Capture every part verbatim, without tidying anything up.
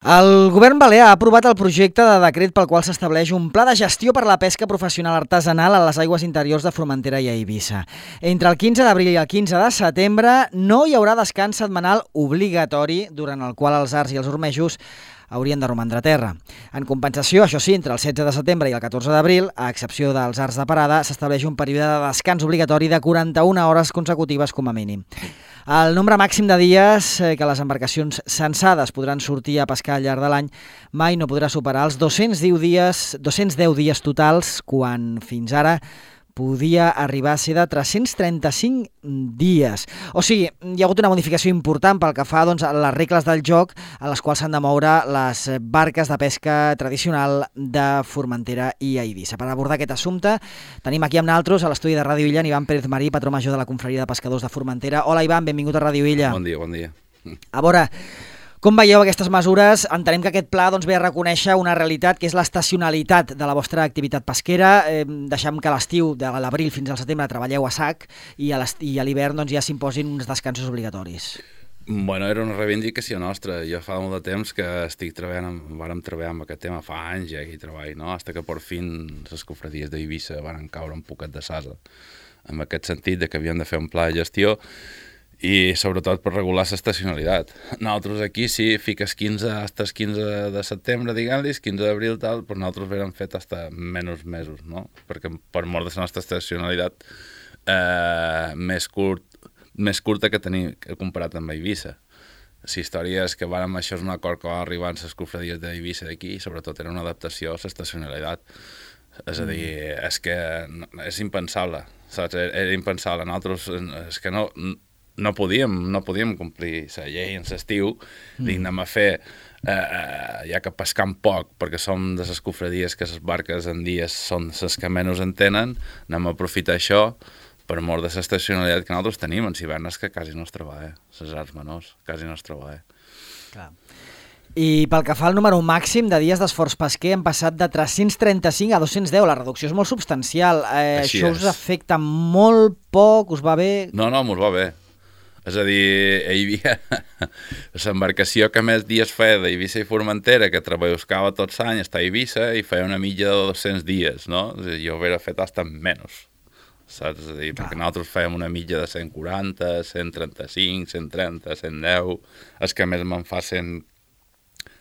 El govern balear ha aprovat el projecte de decret pel qual s'estableix un pla de gestió per a la pesca professional artesanal a les aigües interiors de Formentera i a Eivissa. Entre el quinze d'abril i el quinze de setembre no hi haurà descans setmanal obligatori, durant el qual els arts i els ormejos haurien de romandre a terra. En compensació, això sí, entre el setze de setembre i el catorze d'abril, a excepció dels arts de parada, s'estableix un període de descans obligatori de quaranta-una hores consecutives com a mínim. El nombre màxim de dies que les embarcacions censades podran sortir a pescar al llarg de l'any mai no podrà superar els dos-cents deu dies, dos-cents deu dies totals, quan fins ara podia arribar a ser de tres-cents trenta-cinc dies. O sigui, hi ha hagut una modificació important pel que fa doncs, a les regles del joc a les quals s'han de moure les barques de pesca tradicional de Formentera i a Eivissa. Per abordar aquest assumpte, tenim aquí amb nosaltres a l'estudi de Ràdio Illa Ivan Pérez Marí, patró major de la Confraria de Pescadors de Formentera. Hola Ivan, benvingut a Ràdio Illa. Bon dia, bon dia. A veure, com veieu aquestes mesures? Entenem que aquest pla doncs, ve a reconèixer una realitat que és l'estacionalitat de la vostra activitat pesquera. Eh, deixem que a l'estiu, de l'abril fins al setembre, treballeu a sac i a l'hivern doncs, ja s'imposin uns descansos obligatoris. Bueno, era una reivindicació nostra. Jo fa molt de temps que estic treballant, amb, vàrem treballar amb aquest tema, fa anys ja que hi treballo, no? Hasta que per fin les cofradies d'Eivissa van caure un poquet de sasa. En aquest sentit de que havien de fer un pla de gestió i sobretot per regular l'estacionalitat. Nosaltres aquí sí, fiques quinze, hasta el quinze de setembre, diguem-li, quinze d'abril, tal, però nosaltres vam fet hasta menys mesos, no? Perquè per mort de la nostra estacionalitat eh, més, curt, més curta que tenim que comparat amb Eivissa. La història és que vàrem, això és un acord que va arribar en les cofradies d'Eivissa d'aquí, i sobretot era una adaptació a l'estacionalitat. És a dir, és que és impensable, saps? Era impensable. Nosaltres, és que no... no podíem, no podíem complir la llei en l'estiu, mm. dic, anem a fer, eh, eh, ja que pescam poc, perquè som de les cofradies que les barques en dies són les que menys en tenen, anem a aprofitar això per mort de l'estacionalitat que nosaltres tenim en hivernes que quasi no es treballa, les arts menors, quasi no es treballa. Clar. I pel que fa al número màxim de dies d'esforç pesquer hem passat de tres-cents trenta-cinc a dos-cents deu, la reducció és molt substancial. Eh, això és. Us afecta molt poc, us va bé? No, no, ens va bé. És a dir, hi havia l'embarcació que més dies feia d'Eivissa i Formentera, que treballava tots l'any, està a Eivissa i feia una mitja de dos-cents dies, no? És a dir, jo ho hauria fet hasta menys, saps? És a dir, perquè nosaltres fèiem una mitja de cent quaranta, cent trenta-cinc, cent trenta, cent deu, els que més me'n fa cent,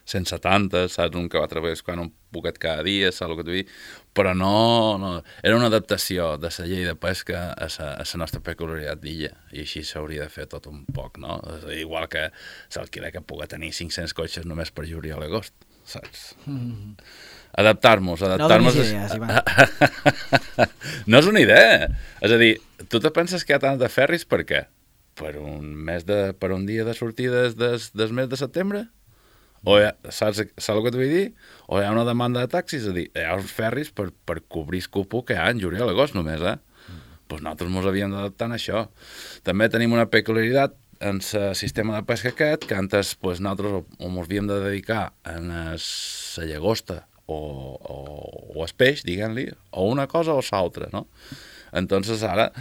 cent setanta, saps? Un que va treballar un poquet cada dia, saps el que t'ho dic? Però no, no, era una adaptació de la llei de pesca a la nostra peculiaritat d'illa, i així s'hauria de fer tot un poc, no? Igual que s'alquiler que pugui tenir cinc-cents cotxes només per juliol i agost, saps? Mm. Adaptar-nos, adaptar-nos... No donis idees, Ivan. No és una idea. És a dir, tu te penses que hi ha tant de ferris per què? Per un, mes de, per un dia de sortides des, des mes de setembre? O ha, saps, saps el que t'ho vull dir? O hi ha una demanda de taxis, és a dir, hi ha uns ferris per, per cobrir el cupo que hi ha en juliol i agost només, eh? Mm. Pues nosaltres ens havíem d'adaptar a això. També tenim una peculiaritat en el sistema de pesca aquest, que antes pues, nosaltres ens havíem de dedicar a la llagosta o, o, o el peix, diguem-li, o una cosa o l'altra, no? Entonces ara,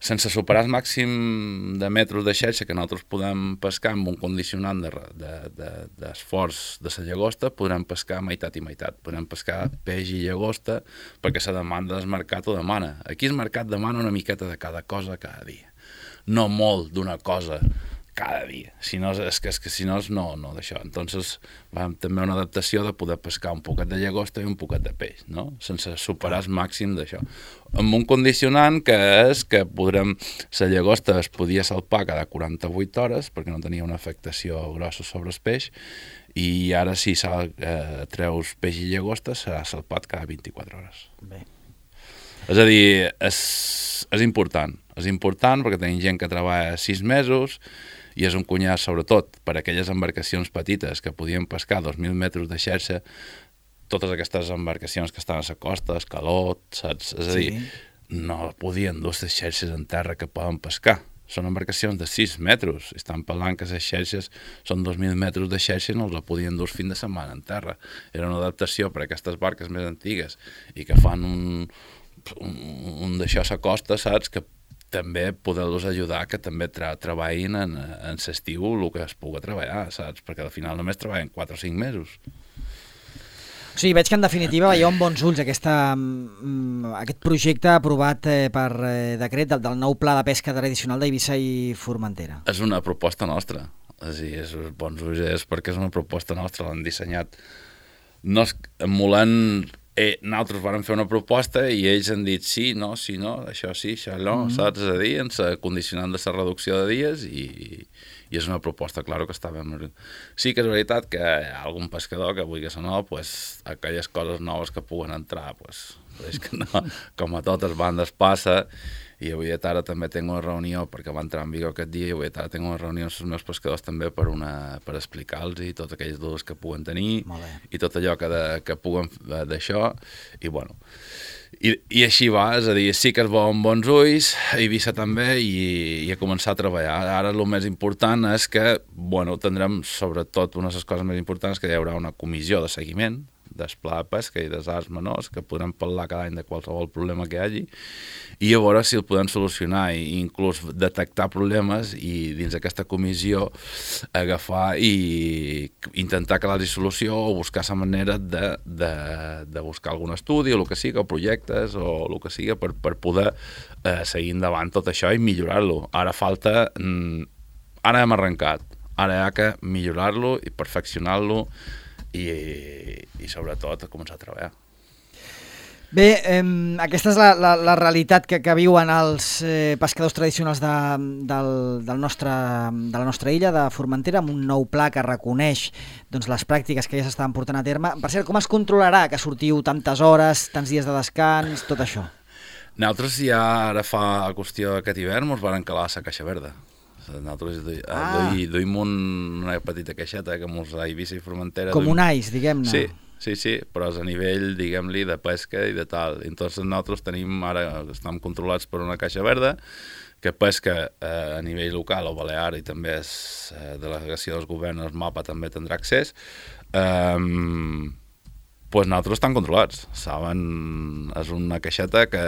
sense superar el màxim de metres de xarxa que nosaltres podem pescar amb un condicionant d'esforç de, de, de la llagosta, podrem pescar meitat i meitat. Podrem pescar peix i llagosta perquè la demanda del mercat ho demana. Aquí el mercat demana una miqueta de cada cosa cada dia. No molt d'una cosa cada dia. Si no, és que, és que si no, és no, no d'això. Entonces, vam també una adaptació de poder pescar un poquet de llagosta i un poquet de peix, no? Sense superar el màxim d'això. Amb un condicionant que és que podrem... La llagosta es podia salpar cada quaranta-vuit hores perquè no tenia una afectació grossa sobre el peix, i ara si sal, eh, treus peix i llagosta serà salpat cada vint-i-quatre hores. Bé. És a dir, és, és important. És important perquè tenim gent que treballa sis mesos i és un cunyat, sobretot, per a aquelles embarcacions petites que podien pescar dos mil metres de xarxa, totes aquestes embarcacions que estan a la costa, escalot, saps? És a dir, sí. No podien dur les xarxes en terra que poden pescar. Són embarcacions de sis metres. Estan parlant que les xarxes són dos mil metres de xarxa i no els la podien dur fin de setmana en terra. Era una adaptació per a aquestes barques més antigues i que fan un, un, un d'això a la costa, saps? Que també poder-los ajudar que també tra treballin en, en l'estiu el que es pugui treballar, saps? Perquè al final només treballen quatre o cinc mesos. O sigui, veig que en definitiva veieu amb bons ulls aquesta, aquest projecte aprovat per decret del, del nou pla de pesca tradicional d'Eivissa i Formentera. És una proposta nostra. És a dir, és bons ulls és perquè és una proposta nostra, l'han dissenyat. No és emulant... Eh, nosaltres vam fer una proposta i ells han dit sí, no, sí, no, això sí, això no, mm-hmm. saps? És a dir, ens condicionant de la reducció de dies i, i és una proposta, clar, que està ben... Sí que és veritat que hi ha algun pescador que vulgui que no, pues, aquelles coses noves que puguen entrar, pues, és que no, com a totes bandes passa, i avui a tarda també tinc una reunió, perquè va entrar en vigor aquest dia, i avui a tarda tinc una reunió amb els meus pescadors també per, una, per explicar-los i totes aquelles dudes que puguen tenir i tot allò que, de, que puguen d'això, i bueno, i, i així va, és a dir, sí que es veuen bons ulls, a Eivissa també, i, i a començar a treballar. Ara el més important és que, bueno, tindrem sobretot una de les coses més importants que hi haurà una comissió de seguiment del pla de pesca i dels arts menors, que podrem parlar cada any de qualsevol problema que hi hagi, i a veure si el podem solucionar i inclús detectar problemes i dins d'aquesta comissió agafar i intentar que l'hagi solució o buscar la manera de, de, de buscar algun estudi o el que sigui, o projectes o el que sigui per, per poder eh, seguir endavant tot això i millorar-lo. Ara falta... Mm, ara hem arrencat, ara hi ha que millorar-lo i perfeccionar-lo i, i sobretot a començar a treballar. Bé, eh, aquesta és la, la, la realitat que, que viuen els eh, pescadors tradicionals de, del, del nostre, de la nostra illa, de Formentera, amb un nou pla que reconeix doncs, les pràctiques que ja s'estaven portant a terme. Per cert, com es controlarà que sortiu tantes hores, tants dies de descans, tot això? Nosaltres ja ara fa qüestió aquest hivern ens van calar la caixa verda. Nosaltres ah. duim un, una petita caixeta que mos a Eivissa i Formentera... Com duim... un ais, diguem-ne. Sí, sí, sí, però és a nivell, diguem-li, de pesca i de tal. Entonces nosaltres tenim, ara estem controlats per una caixa verda que pesca eh, a nivell local o balear i també és eh, delegació dels governs, el mapa també tindrà accés. Eh, pues nosaltres estan controlats, saben? És una caixeta que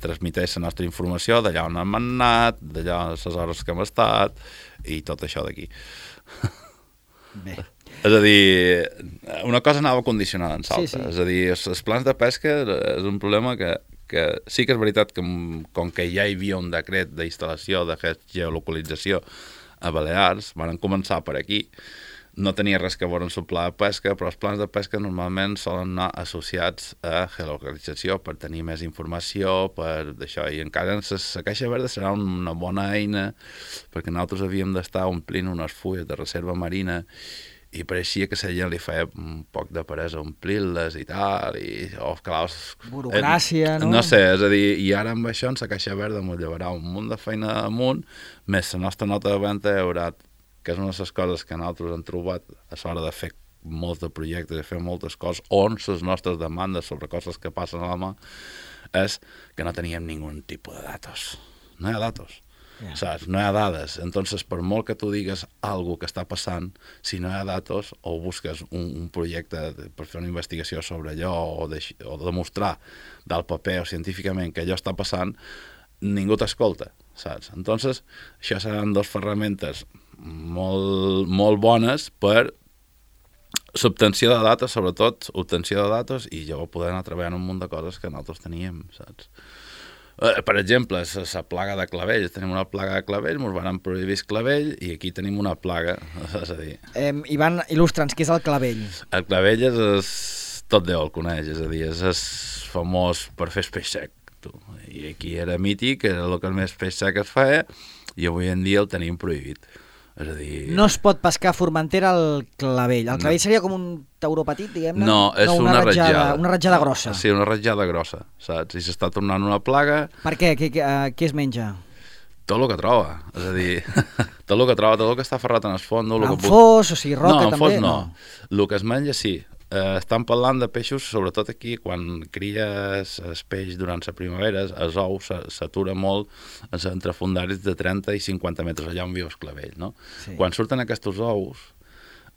transmiteix la nostra informació d'allà on hem anat, d'allà les hores que hem estat i tot això d'aquí. Bé. És a dir, una cosa anava condicionada en l'altra. Sí, sí. És a dir, els, els plans de pesca és un problema que, que sí que és veritat que com que ja hi havia un decret d'instal·lació de geolocalització a Balears, van començar per aquí. No tenia res que veure amb el pla de pesca, però els plans de pesca normalment solen anar associats a geolocalització per tenir més informació, per d'això. I encara la caixa verda serà una bona eina perquè nosaltres havíem d'estar omplint unes fulles de reserva marina i pareixia que a la gent li feia un poc de peresa omplir-les i tal, i oh, clar, burocràcia, no? No sé, és a dir, i ara amb això en la caixa verda m'ho llevarà un munt de feina amunt, més la nostra nota de venda hi haurà, que és una de les coses que nosaltres hem trobat a l'hora de fer molts de projectes i fer moltes coses, on les nostres demandes sobre coses que passen a la mà, és que no teníem ningú tipus de datos. No hi ha datos. Yeah. Saps? No hi ha dades. Entonces, per molt que tu digues alguna que està passant, si no hi ha datos o busques un, un projecte per fer una investigació sobre allò o, de, o demostrar del paper o científicament que allò està passant, ningú t'escolta, saps? Entonces, això seran dues ferramentes molt, molt bones per l'obtenció de datos, sobretot obtenció de datos, i jo poder anar treballant un munt de coses que nosaltres teníem, saps? Eh, per exemple, la plaga de clavells. Tenim una plaga de clavells, ens van prohibir el clavell i aquí tenim una plaga, és a dir... Eh, Ivan, il·lustra'ns, què és el clavell? El clavell és, és tot Déu el coneix, és a dir, és, és famós per fer peix sec. Tu. I aquí era mític, era el que més peix sec es feia, i avui en dia el tenim prohibit. És a dir... No es pot pescar a Formentera el clavell. El clavell no. Seria com un tauró petit, diguem-ne? No, és no, una, una ratjada, ratjada. Una ratjada grossa. Sí, una ratjada grossa, saps? I s'està tornant una plaga... Per què? Què, què, uh, què es menja? Tot el que troba. És a dir, tot el que troba, tot el que està ferrat en el fons... En fos, o sigui, roca no, també? No, en fos no. El que es menja, sí. Eh, estan parlant de peixos, sobretot aquí, quan cries el peix durant la primavera, els ous s'atura molt els entrefundaris de trenta i cinquanta metres, allà on viu el clavell, no? Sí. Quan surten aquests ous,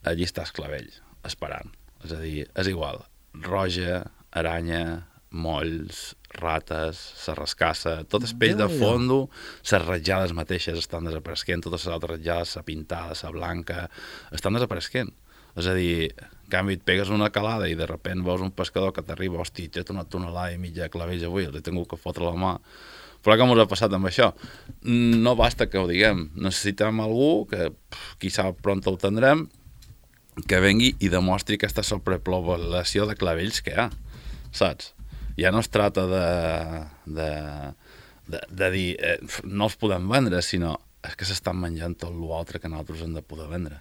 allí està el clavell, esperant. És a dir, és igual, roja, aranya, molls, rates, la rascassa, tot el peix de fondo, les ratjades mateixes estan desapareixent, totes les altres ratjades, la pintada, la blanca, estan desapareixent. És a dir, en canvi, et pegues una calada i de sobte veus un pescador que t'arriba, hosti, he una tonelada i mitja de clavells avui, els he tingut que fotre la mà. Però què ens ha passat amb això? No basta que ho diguem, necessitem algú que, quizà pront ho tindrem, que vengui i demostri aquesta sobrepoblació de clavells que hi ha, saps? Ja no es tracta de, de, de, de dir eh, no els podem vendre, sinó és que s'estan menjant tot l'altre que nosaltres hem de poder vendre.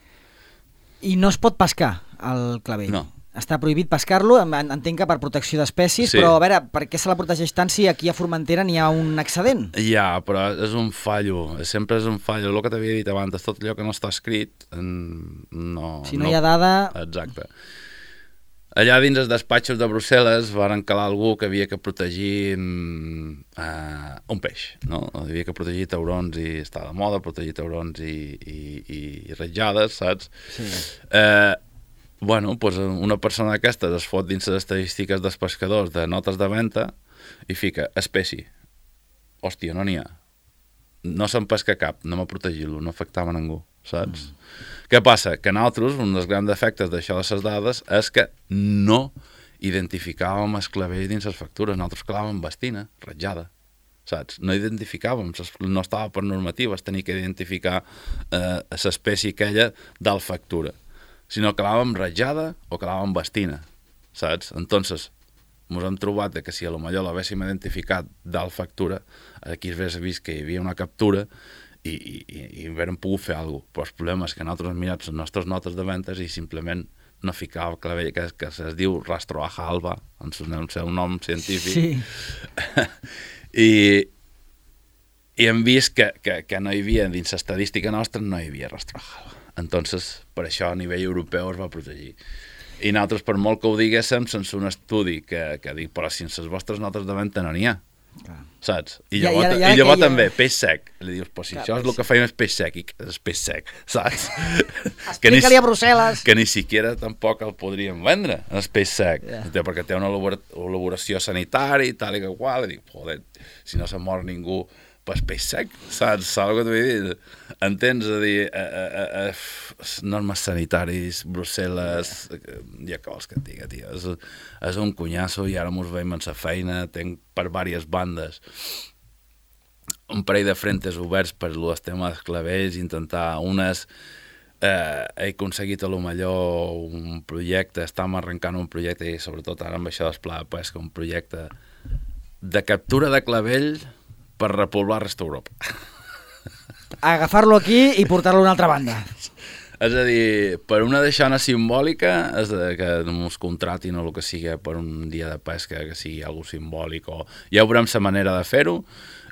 I no es pot pescar el clavell? No. Està prohibit pescar-lo, entenc que per protecció d'espècies, sí. Però a veure, per què se la protegeix tant si aquí a Formentera n'hi ha un excedent? Ja, però és un fallo, sempre és un fallo. El que t'havia dit abans, tot allò que no està escrit, no... Si no, no hi ha dada... Exacte. Allà dins els despatxos de Brussel·les varen calar algú que havia que protegir uh, un peix, no? Havia que protegir taurons i està de moda protegir taurons i, i, i ratjades, saps? Sí. Eh... Bueno, doncs una persona d'aquestes es fot dins les estadístiques dels pescadors de notes de venda i fica espècie. Hòstia, no n'hi ha. No se'n pesca cap, no m'ha protegit-lo, no afectava a ningú, saps? Mm. Què passa? Que nosaltres, un dels grans defectes d'això de les dades és que no identificàvem els clavells dins les factures. Nosaltres clavàvem bastina, ratjada, saps? No identificàvem, no estava per normatives tenir que identificar eh, l'espècie aquella del factura, sinó que clavàvem ratjada o clavàvem bastina, saps? Entonces, ens hem trobat que si a lo millor l'haguéssim identificat dalt factura, aquí es hagués vist que hi havia una captura i, i, i haguérem pogut fer alguna cosa. Però el problema és que nosaltres hem mirat les nostres notes de ventes i simplement no ficava el clavell, que, que es diu rastroaja alba, en el seu nom científic. Sí. I, i hem vist que, que, que no hi havia, dins l'estadística nostra, no hi havia rastroaja alba. Entonces, per això a nivell europeu es va protegir. I nosaltres, per molt que ho diguéssim, sense un estudi que, que dic, però si en les vostres notes de venda no n'hi ha, clar. Saps? I llavors, ja, ja, ja, i llavors ja, també, ja... peix sec. Li dius, però si clar, això és el que feim és peix sec, i és peix sec, saps? Explica-li a Brussel·les. Que ni siquiera tampoc el podríem vendre, el peix sec, yeah. Perquè té una elaboració sanitària i tal i que qual, i dic, joder, si no se mor ningú, pues peix sec, saps? Saps el que t'ho vull dir? Entens? A dir, a, a, a, a, normes sanitaris, Brussel·les, ja que vols que et diga, tio, és, és un cunyasso i ara mos veiem en sa feina, tenc per diverses bandes un parell de frentes oberts per el tema dels clavells, intentar unes... Eh, he aconseguit a lo millor un projecte, estem arrencant un projecte i sobretot ara amb això del pla de pesca, un projecte de captura de clavell per repoblar resta d'Europa. Agafar-lo aquí i portar-lo a una altra banda. És a dir, per una deixona simbòlica, és de que ens contratin o el que sigui per un dia de pesca, que sigui alguna simbòlic, o ja veurem la manera de fer-ho.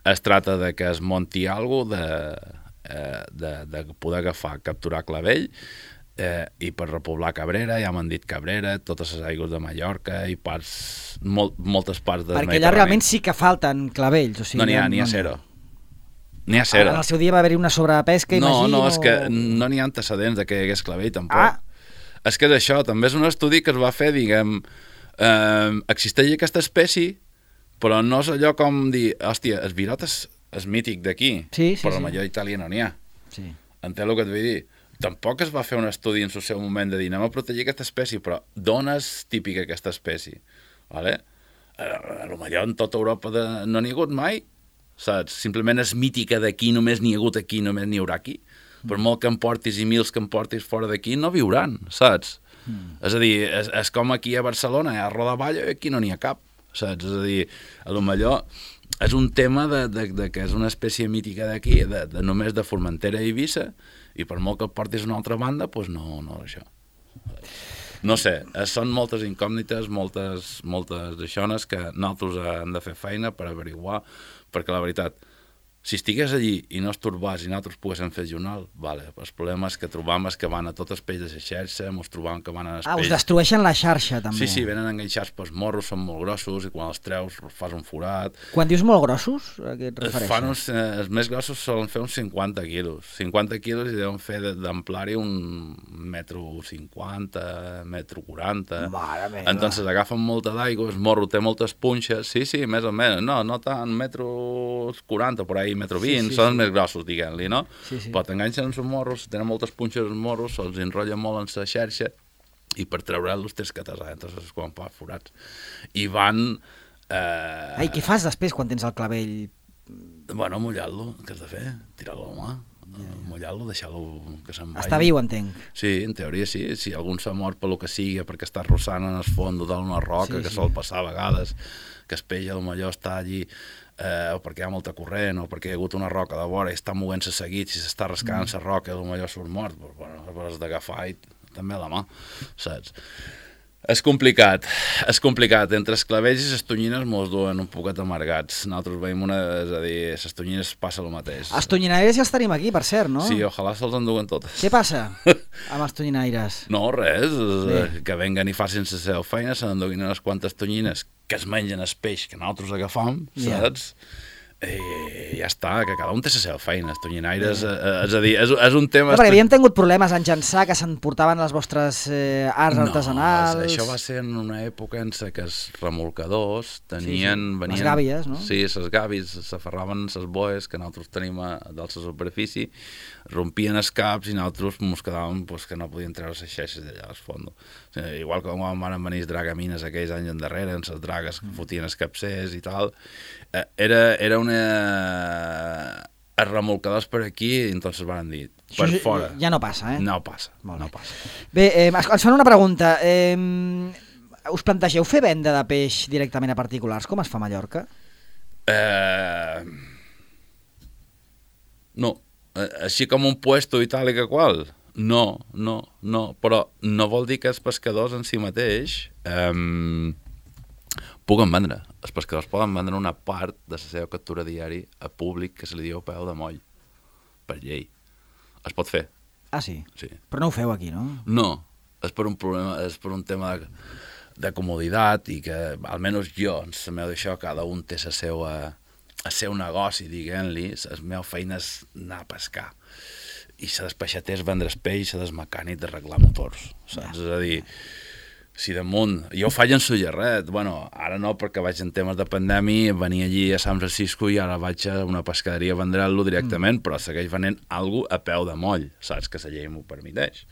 Es tracta de que es monti alguna de, de, de poder agafar, capturar clavell, Eh, i per repoblar Cabrera, ja m'han dit Cabrera, totes les aigües de Mallorca i parts, molt, moltes parts del Mediterrani. Perquè allà realment sí que falten clavells. O sigui, no n'hi ha, n'hi ha zero. N'hi ha zero. En el seu dia va haver-hi una sobrepesca, no, imagino. No, és que no n'hi ha antecedents de que hi hagués clavell, tampoc. Ah. És que és això, també és un estudi que es va fer, diguem, eh, existeix aquesta espècie, però no és allò com dir, hòstia, el virot és, és mític d'aquí, sí, sí, però sí. la major Itàlia no n'hi ha. Sí. Entenc el que et vull dir? Tampoc es va fer un estudi en el seu moment de dir anem a protegir aquesta espècie, però d'on és típica aquesta espècie? Vale? A, a lo millor en tota Europa de... no n'hi ha hagut mai, saps? Simplement és mítica d'aquí, només n'hi ha hagut aquí, només n'hi haurà aquí. Mm. Per molt que em portis i mils que em portis fora d'aquí, no viuran, saps? Mm. És a dir, és, és com aquí a Barcelona, hi ha Rodavalla i aquí no n'hi ha cap, saps? És a dir, a lo millor és un tema de, de, de que és una espècie mítica d'aquí, de, de només de Formentera i Eivissa, i per molt que et portis a una altra banda, doncs no, no això. No sé, són moltes incògnites, moltes, moltes d'aixones que nosaltres hem de fer feina per averiguar, perquè la veritat, Si estigués allí i no es torbàs i nosaltres poguéssim fer jornal, vale. El problema és que trobam que van a tot el peix de la xarxa, ens trobam que van a Ah, us destrueixen la xarxa, també. Sí, sí, venen enganxats pels morros, són molt grossos, i quan els treus fas un forat. Quan dius molt grossos, a què et refereixes? Fan uns, eh, els més grossos solen fer uns cinquanta quilos. cinquanta quilos i deuen fer d'amplari un metro cinquanta, metro quaranta. Mare meva. Entonces agafen molta d'aigua, el morro té moltes punxes, sí, sí, més o menys, no, no tant, metro quaranta, per ahí, metro vint, sí, sí, són els sí. més grossos, diguem-li, no? Sí, sí. Però t'enganxen els morros, tenen moltes punxes els morros, se'ls enrotllen molt en la xarxa i per treure-los tens que tasar, entonces quan fa forats. I van... Eh... Ai, què fas després quan tens el clavell? Bueno, mullar-lo, què has de fer? Tirar-lo a la mà, yeah. mullar-lo, deixar-lo que se'n vagi. Està viu, entenc. Sí, en teoria sí, si algun s'ha mort per lo que sigui, perquè està rossant en el fons d'una roca, sí, que sí. sol passar a vegades, que el peix potser està allí eh, o perquè hi ha molta corrent, o perquè hi ha hagut una roca de vora i està movent-se seguit, si s'està rascant la mm. roca, potser surt mort, però bueno, has d'agafar i també a la mà, saps? És complicat, és complicat. Entre els clavells i les tonyines mos duen un poquet amargats. Nosaltres veiem una... És a dir, les tonyines passa el mateix. Els tonyinaires ja els tenim aquí, per cert, no? Sí, ojalà se'ls enduguen totes. Què passa amb els tonyinaires? No, res. Bé. Que venguen i facin la seva feina, se n'enduguin unes quantes tonyines que es mengen el peix que nosaltres agafam, saps? Yeah. I ja està, que cada un té la seva feina, els tonyinaires, eh, és a dir, és, és un tema... No, perquè havíem tingut problemes en llançar, que s'emportaven les vostres eh, arts no, artesanals... No, això va ser en una època en què els remolcadors tenien... Sí, sí. Venien, les gàbies, no? Sí, les gàbies, s'aferraven les boes que nosaltres tenim a dalt la superfície, rompien els caps i nosaltres ens quedàvem pues, que no podien treure les xeixes d'allà al fons. O sigui, igual que quan van venir els dragamines aquells anys endarrere, amb les dragues que fotien els capcers i tal, eh, era, era una... els remolcadors per aquí, i entonces van dir, per això fora. Ja no passa, eh? No passa, no passa. Bé, eh, ens fan una pregunta. Eh, us plantegeu fer venda de peix directament a particulars, com es fa a Mallorca? Eh... No. Així com un puesto i tal i que qual? No, no, no. Però no vol dir que els pescadors en si mateix eh, puguen vendre. Els pescadors poden vendre una part de la seva captura diari a públic que se li diu peu de moll, per llei. Es pot fer. Ah, sí? Sí. Però no ho feu aquí, no? No. És per un problema, és per un tema de, de comoditat i que, almenys jo, en la meva d'això, cada un té la seva... el seu negoci, diguem-li, la meva feina és anar a pescar. I la del peixater és vendre el peix, la del mecànic d'arreglar motors, saps? Ja. És a dir, si damunt... Jo ho faig en Sollerret, bueno, ara no perquè vaig en temes de pandèmia, venia allí a San Francisco i ara vaig a una pescaderia a vendre-lo directament, mm. però segueix venent alguna cosa a peu de moll, saps? Que la llei m'ho permeteix.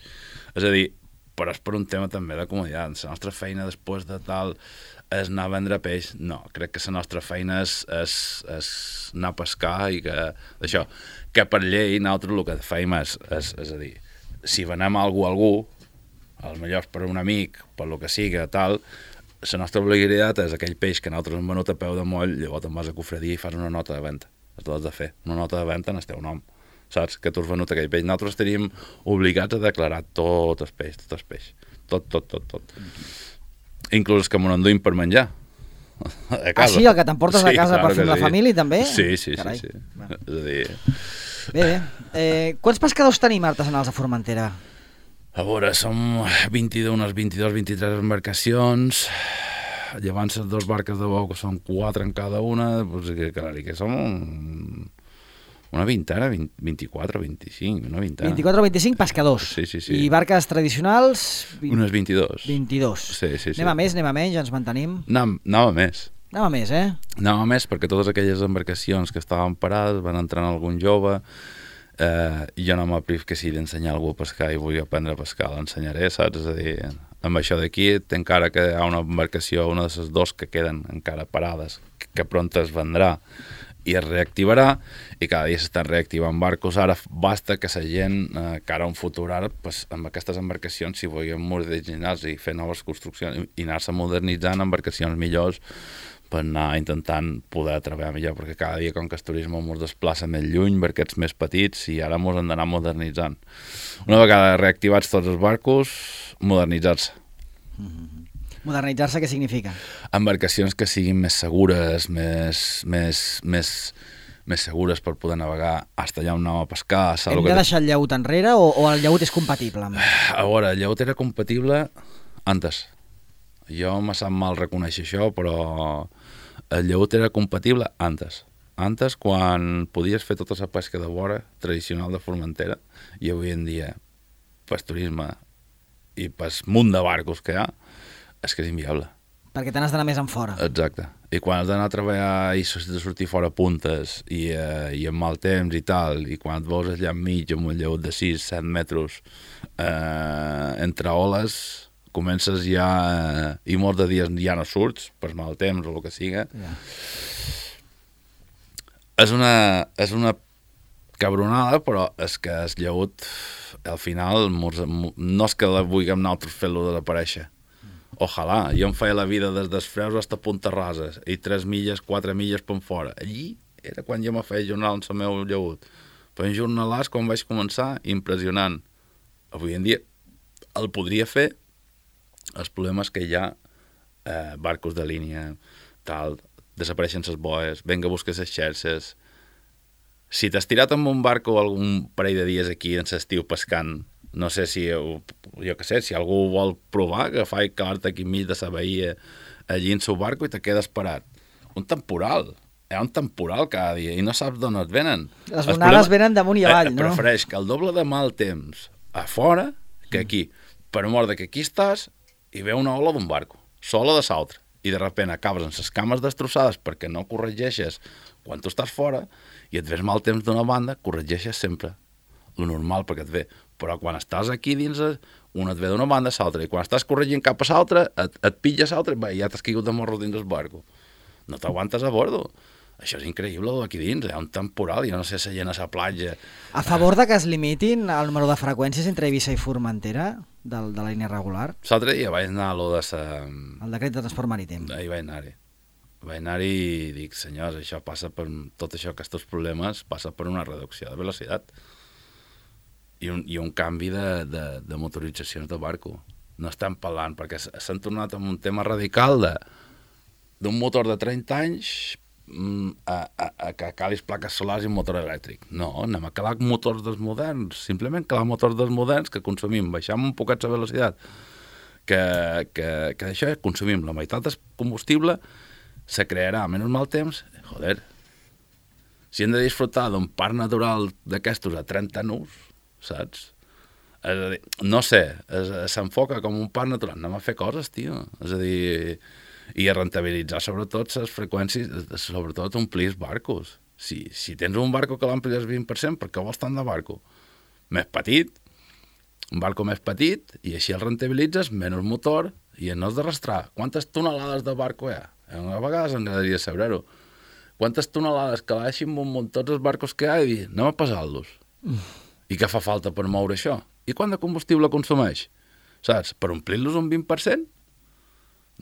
És a dir, però és per un tema també de comoditat. La nostra feina després de tal... és anar a vendre peix, no, crec que la nostra feina és, és, és anar a pescar i que, això, que per llei nosaltres el que feim és, és, és a dir, si venem algú a algú, als millors per un amic, per lo que siga, tal, la nostra obligació és aquell peix que nosaltres hem venut a peu de moll, llavors te'n vas a cofredia i fas una nota de venda, has de fer, una nota de venda en el teu nom, saps, que tu has venut aquell peix. Nosaltres estaríem obligats a declarar tot el peix, tot el peix, tot, tot, tot, tot. Inclús que m'ho enduïm per menjar a casa. Ah, sí? El que t'emportes sí, a casa clar, per fer amb la sí. família, també? Sí, sí, Carai. sí. sí. Bueno. És a dir... Bé, bé. Eh, quants pescadors tenim artesanals a Formentera? A veure, som vint-i-dos, unes vint-i-dos, vint-i-tres embarcacions, llevant les dues barques de bou, que són quatre en cada una, doncs que, que, que som un... una vintena, vint, vint-i-quatre, vint-i-cinc, una vintena. vint-i-quatre o vint-i-cinc pescadors. Sí, sí, sí. I barques tradicionals? vint... Unes vint-i-dos. vint-i-dos. Sí, sí, sí. Anem a més, anem a menys, ens mantenim? Anam, anava més. Anava més, eh? Anava més perquè totes aquelles embarcacions que estaven parades van entrar en algun jove eh, i jo no m'apriv que si d'ensenyar algú a pescar i vull aprendre a pescar, l'ensenyaré, saps? És a dir, amb això d'aquí encara que hi ha una embarcació, una de les dos que queden encara parades, que, que pront es vendrà i es reactivarà, i cada dia s'estan reactivant barcos. Ara basta que la gent, eh, cara a un futur ara, pues, amb aquestes embarcacions, si vulguem modernitzar-se i fer noves construccions i anar-se modernitzant embarcacions millors per anar intentant poder treballar millor, perquè cada dia, com que el turisme ens desplaça més lluny, barquets més petits, i ara ens hem d'anar modernitzant. Una vegada reactivats tots els barcos, modernitzar-se. Mm-hmm. Modernitzar-se què significa? Embarcacions que siguin més segures, més, més, més, més segures per poder navegar hasta allà on anàvem a pescar. Hem de deixar el llaüt enrere o, o el llaüt és compatible? Amb... A veure, el llaüt era compatible antes. Jo me sap mal reconèixer això, però el llaüt era compatible antes. Antes, quan podies fer tota la pesca de vora tradicional de Formentera, i avui en dia, pel turisme i pel munt de barcos que hi ha, és que és inviable. Perquè te n'has d'anar més en fora. Exacte. I quan has d'anar a treballar i de sortir fora puntes i, eh, i amb mal temps i tal, i quan et veus allà enmig amb un llaüt de sis set metres eh, entre oles, comences ja eh, i molts de dies ja no surts per mal temps o el que siga. Yeah. És una, és una cabronada, però és que el llaüt al final no és que la vulguem nosaltres fer-lo desaparèixer. Ojalà, jo em feia la vida des dels Freus fins a Punta Roses i tres milles, quatre milles per fora. Allí era quan jo me feia jornal amb el meu llaüt. Feia un jornalàs quan vaig començar, impressionant. Avui en dia el podria fer. El problema és que hi ha eh, barcos de línia, tal, desapareixen les boes, venga a buscar les xerxes. Si t'has tirat amb un barco algun parell de dies aquí en l'estiu pescant, no sé si, jo què sé, si algú vol provar, agafar i calar-te aquí enmig de la bahia, allí en el barco i te quedes parat. Un temporal. Hi ha un temporal cada dia i no saps d'on et venen. Les onades venen damunt i avall, eh, no? Prefereix que el doble de mal temps a fora que aquí. Per mort de que aquí estàs i ve una ola d'un barco, sola de l'altre, i de sobte acabes amb les cames destrossades perquè no corregeixes quan tu estàs fora i et ves mal temps d'una banda, corregeixes sempre lo normal perquè et ve, però quan estàs aquí dins, un et ve d'una banda a l'altra, i quan estàs corregint cap a l'altra, et, et pilles l'altre, i ja t'has caigut de morro dins del barco. No t'aguantes a bordo. Això és increïble, aquí dins, hi ha un temporal, jo no sé si llena la platja. A favor de que es limitin el número de freqüències entre Eivissa i Formentera, de, de la línia regular? L'altre dia vaig anar a lo de sa... El decret de transport marítim. Ahí vaig anar-hi. Vaig anar-hi i dic, senyors, això passa per... Tot això, aquests problemes, passa per una reducció de velocitat i un, i un canvi de, de, de motoritzacions de barco. No estem parlant, perquè s'han tornat amb un tema radical de d'un motor de trenta anys a, a, a que calis plaques solars i un motor elèctric. No, anem a calar motors dels moderns, simplement calar motors dels moderns que consumim, baixem un poquet la velocitat, que, que, que això consumim la meitat del combustible, se crearà menys mal temps, joder, si hem de disfrutar d'un parc natural d'aquestos a trenta nus, saps? És a dir, no sé, s'enfoca com un parc natural, anem a fer coses, tio, és a dir... i a rentabilitzar sobretot les freqüències, sobretot omplir els barcos. Si, si tens un barco que l'amplies vint per cent, per què vols tant de barco? Més petit, un barco més petit, i així el rentabilitzes, menys motor, i no has d'arrastrar. Quantes tonelades de barco hi ha? A vegades m'agradaria saber-ho. Quantes tonelades que baixin un munt tots els barcos que hi ha i dir, anem a pesar-los. Mm. I què fa falta per moure això? I quant de combustible consumeix? Saps? Per omplir-los un vint per cent?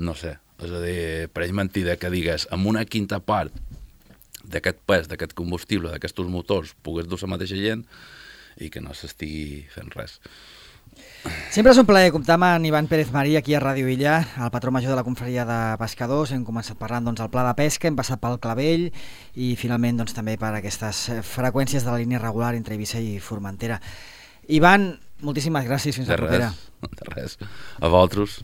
No sé. És a dir, pareix mentida que digues amb una quinta part d'aquest pes, d'aquest combustible, d'aquests motors, pugues dur la mateixa gent i que no s'estigui fent res. Sempre és un plaer comptar amb en Ivan Pérez Marí aquí a Ràdio Illa, el patró major de la confraria de pescadors. Hem començat parlant doncs, del pla de pesca, hem passat pel clavell i finalment doncs, també per aquestes freqüències de la línia regular entre Eivissa i Formentera. Ivan, moltíssimes gràcies, fins la propera. De res, a vosaltres.